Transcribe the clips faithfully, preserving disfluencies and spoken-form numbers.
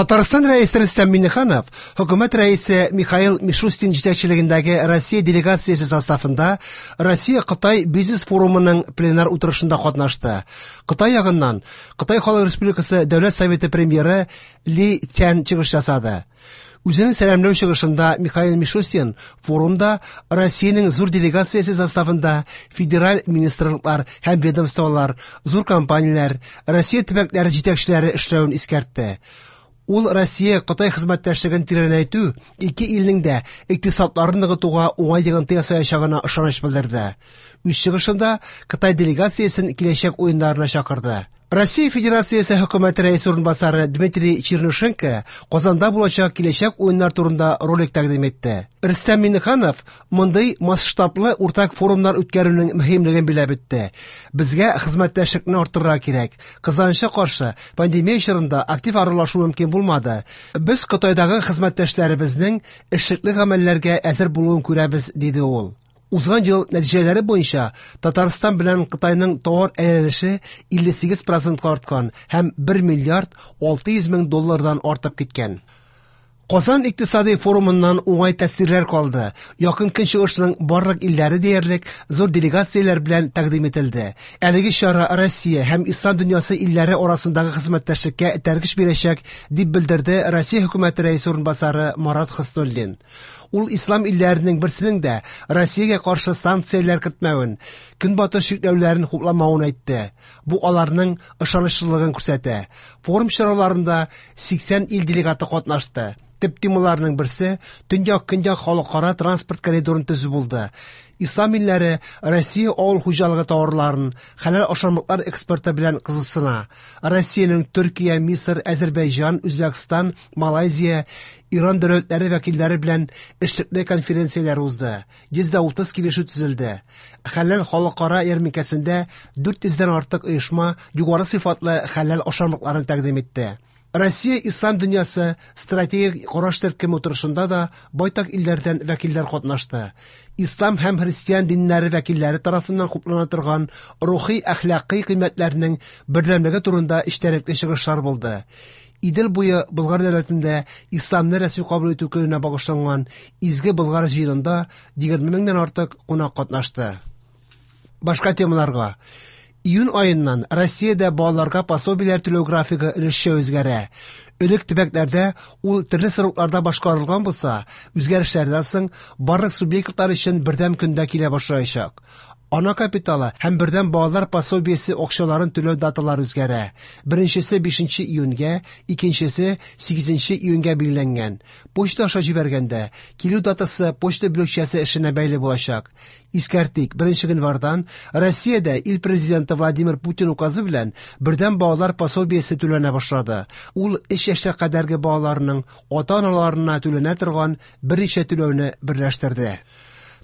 Татарстан Рәисе Рөстәм Миңнеханов хөкүмәт рәисе Михаил Мишустин җитәкчелегендәге Россия делегациясе составында Россия-Кытай бизнес форумының пленар утырышында катнашты. Кытай ягыннан Кытай Халык Республикасы Дәүләт Советы премьеры Ли Цян чыгыш ясады. Үзенең сәламләү чыгышында Михаил Мишустин форумда Россиянең зур делегациясе составында федераль министрлыклар һәм ведомстволар, зур компанияләр, Россия төбәкләре җитәкчеләре эшләвен искәртте. Ул Россия-Кытай хезмәттәшлеген тирәнәйтү ике илнең дә икътисадларын ныгытуга уңай йогынты ясаячагына ышаныч белдерде. Үз чыгышында Кытай делегациясен киләчәк уеннарына чакырды. Россия Федерациясе хөкүмәте рәисе урынбасары Дмитрий Чернышенко Казанда булачак киләчәк уеннар турында ролик тәкъдим итте. Рөстәм Миңнеханов мондый масштаблы уртак форумнар үткәрүнең мөһимлеген билгеләп үтте. Безгә хезмәттәшлекне арттырырга кирәк. Кызганычка каршы, пандемия чорында актив аралашу мөмкин булмады. Без Кытайдагы хезмәттәшләребезнең эшлекле гамәлләргә әзер булуын күрәбез, диде ул. Узган ел нәтиҗәләре буенча Татарстан белән Кытайның товар әйләнеше илле сигез процентка арткан һәм бер миллиард алты йөз мең доллардан артып киткән. Казан икътисади форумыннан уңай тәэсирләр калды. Якын Көнчыгышның барлык илләре диярлек зур делегацияләр белән тәкъдим ителде. Әлеге чара Россия һәм Ислам дөньясы илләре арасындагы хезмәттәшлеккә этәргеч бирәчәк, дип белдерде Россия хөкүмәте рәисе урынбасары Марат Хөснуллин. Ул Ислам илләренең берсенең дә Россиягә каршы санкцияләр кертмәвен, Көнбатыш чикләүләрен хупламавын әйтте. Бу аларның ышанычлылыгын күрсәтә. Форум чараларында сиксән ил делегаты катнашты. Төп темаларның берсе Төньяк-Көньяк халыкара транспорт коридорын төзү булды. Ислам илләре Россия авыл хуҗалыгы товарларын, хәләл ашамлыклар экспорты белән кызыксына. Россиянең Төркия, Мисыр, Әзербайҗан, Үзбәкстан, Малайзия, Иран дәүләтләре вәкилләре белән эшлекле конференцияләр узды. Йөз дә утыз килешү төзелде. Хәләл халыкара ярминкәсендә дүрт йөздән артык оешма югары сыйфатлы хәләл ашамлыкларын тәкъдим итте. Россия Ислам дөньясы стратегик караш төркеме утырышында да байтак илләрдән вәкилләр катнашты. Ислам һәм христиан диннәре вәкилләре тарафыннан хуплана торган рухи әхлакый кыйммәтләрнең бердәмлеге турында эчтәлекле чыгышлар булды. Идел буе Болгар дәүләтендә исламны рәсми кабул итү көненә багышланган Изге Болгар җыенында егерме меңнән артык кунак катнашты. Башка темаларга. Июнь аеннан Россиядә балаларга пособиеләр түләү графигы өлешчә үзгәрә. Элек төбәкләрдә ул төрле срокларда башкарылган булса, үзгәрешләрдән соң барлык субъектлар өчен бердәм көндә килә башлаячак. Ана капиталы һәм бердәм балалар пособиесе акчаларын түләү даталары үзгәрә. Беренчесе бишенче июньгә, икенчесе сигезенче июньгә билгеләнгән. Почта аша җибәргәндә килү датасы почта бүлекчәсе эшенә бәйле булачак. Искәртик, беренче гыйнвардан Россиядә ил президенты Владимир Путин указы белән бердәм балалар пособиесе түләнә башлады. Ул өч яшькә кадәрге балаларның ата-аналарына түләнә торган берничә түләүне берләштерде.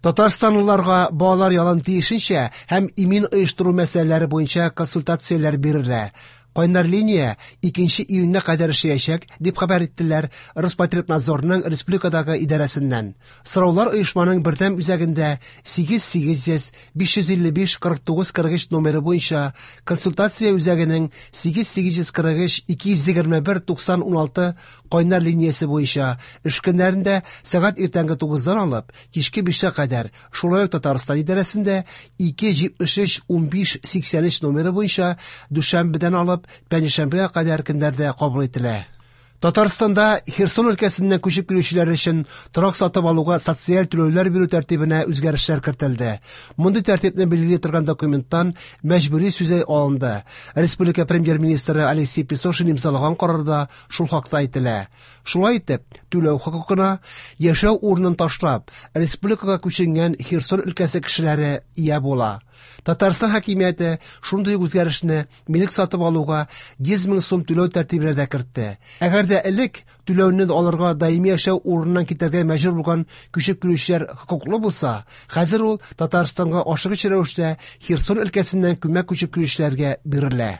Татарстанлыларга балалар ялын тиешенчә һәм имин оештыру мәсьәләләре буенча консультацияләр бирелә. Кайнар линия икенче июньгә кадәр эшләячәк, дип хәбәр иттеләр Роспотребнадзорның республикадагы идарәсеннән. Сораулар оешманың бердәм үзәгендә сигез сигез йөз биш йөз илле биш кырык тугыз кырык өч номеры буенча, консультация үзәгенең сигез сигез йөз кырык өч ике йөз егерме бер туксан уналты кайнар линиясе буенча эш көннәрендә сәгать иртәнге тугыздан алып кичке бишкә кадәр, шулай ук Татарстан идарәсендә ике җитмеш өч унбиш сиксән өч номеры буенча дүшәмбедән алып пәнҗешәмбегә кадәр көннәрдә кабул ителә. Татарстанда Херсон өлкәсеннән күчеп килүчеләр өчен торак сатып алуга социаль түләүләр бирү тәртибенә үзгәрешләр кертелде. Мондый тәртипне билгели торган документтан мәҗбүри сүзе алынды. Республика премьер-министры Алексей Песошин имзалаган карарда шул хакта әйтелә. Шулай итеп, түләү хокукына яшәү урынын ташлап, республикага күченгән Херсон өлкәсе кешеләре ия була. Татарстан хакимияте шундый ук үзгәрешне милек сатып алуга йөз мең сум түләү тәртибенә дә кертте. Әгәр дә элек түләүне алырга даими яшәү урыныннан китәргә мәҗбүр булган күчеп килүчеләр хокуклы булса, хәзер ул Татарстанга ашыгыч рәвештә Херсон өлкәсеннән күмәк күчеп килүчеләргә бирелә.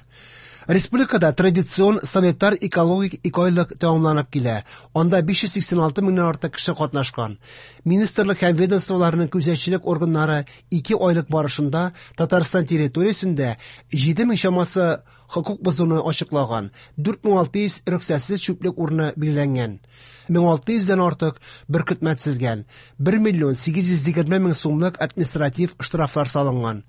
Республикада традицион санитар-экологик икеайлык тәмамланып килә. Анда биш йөз сиксән алты меңнән артык кеше катнашкан. Министрлык һәм ведомстволарның күзәтчелек органнары ике айлык барышында Татарстан территориясендә җиде мең чамасы хокук бозуны ачыклаган, дүрт мең алты йөз рөхсәтсез чүплек урыны билгеләнгән, мең алты йөздән артык беркетмә төзелгән, бер миллион сигез йөз егерме мең сумлык административ штрафлар салынган.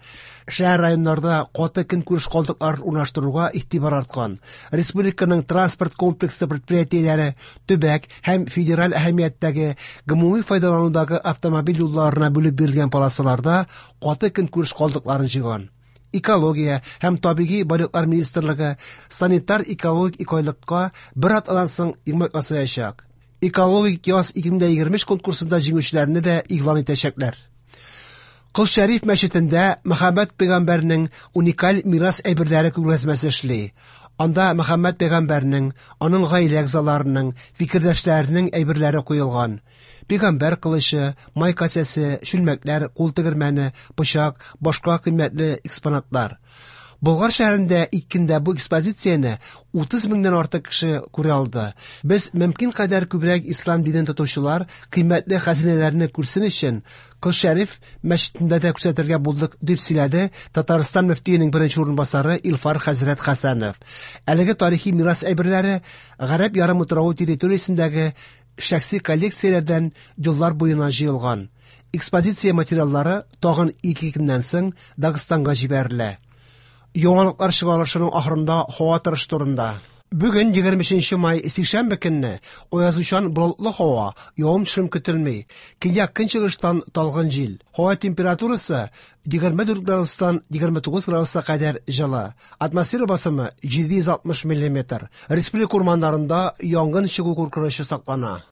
Шәһәр районнарда каты көнкүреш калдыкларын урнаштыруга игътибар арткан. Республиканың транспорт комплексы предприятиеләре төбәк һәм федераль әһәмияттәге гомуми файдаланудагы автомобиль юлларына бүлеп бирелгән полосаларда каты көнкүреш калдыкларын җыйган. Экология һәм табигый байлыклар министрлыгы санитар-экологик икеайлыкка бер атнадан соң йомгак ясаячак. Экологик яз ике мең егерме өч конкурсында җиңүчеләрне дә игълан итәчәкләр. Кол Шәриф мәчетендә Мөхәммәд пәйгамбәрнең уникаль мирас әйберләре күргәзмәсе эшли. Анда Мөхәммәд пәйгамбәрнең, аның гаилә әгъзаларының, фикердәшләренең әйберләре куелган. Пәйгамбәр кылычы, май касәсе, чүлмәкләр, кул тегермәне, пычак, башка кыйммәтле экспонатлар. Болгар шәһәрендә иккендә бу экспозицияне утыз меңнән артык кеше күрә алды. Без мөмкин кадәр күбрәк ислам динен тотучылар кыйммәтле хәзинәләрне күрсен өчен Кол Шәриф мәчетендә дә күрсәтергә булдык, дип сөйләде Татарстан мөфтиенең беренче урынбасары Илфар хәзрәт Хәсәнов. Әлеге тарихи мирас әйберләре Гарәп ярымутравы территориясендәге шәхси коллекцияләрдән еллар буена җыелган. Экспозиция материаллары тагын ике көннән соң Дагыстанга җибәрелә. Яңалыклар чыгарылышының ахырында һава торышы турында. Бүген егерме өченче май сишәмбе көнне аязучан болытлы һава, явым-төшем көтелми. Көньяк көнчыгыштан талгын җил. Һава температурасы егерме дүрт градустан егерме тугыз градуска кадәр җылы. Атмосфера басымы җиде йөз алтмыш миллиметр. Республика урманнарында янгын чыгу куркынычы саклана.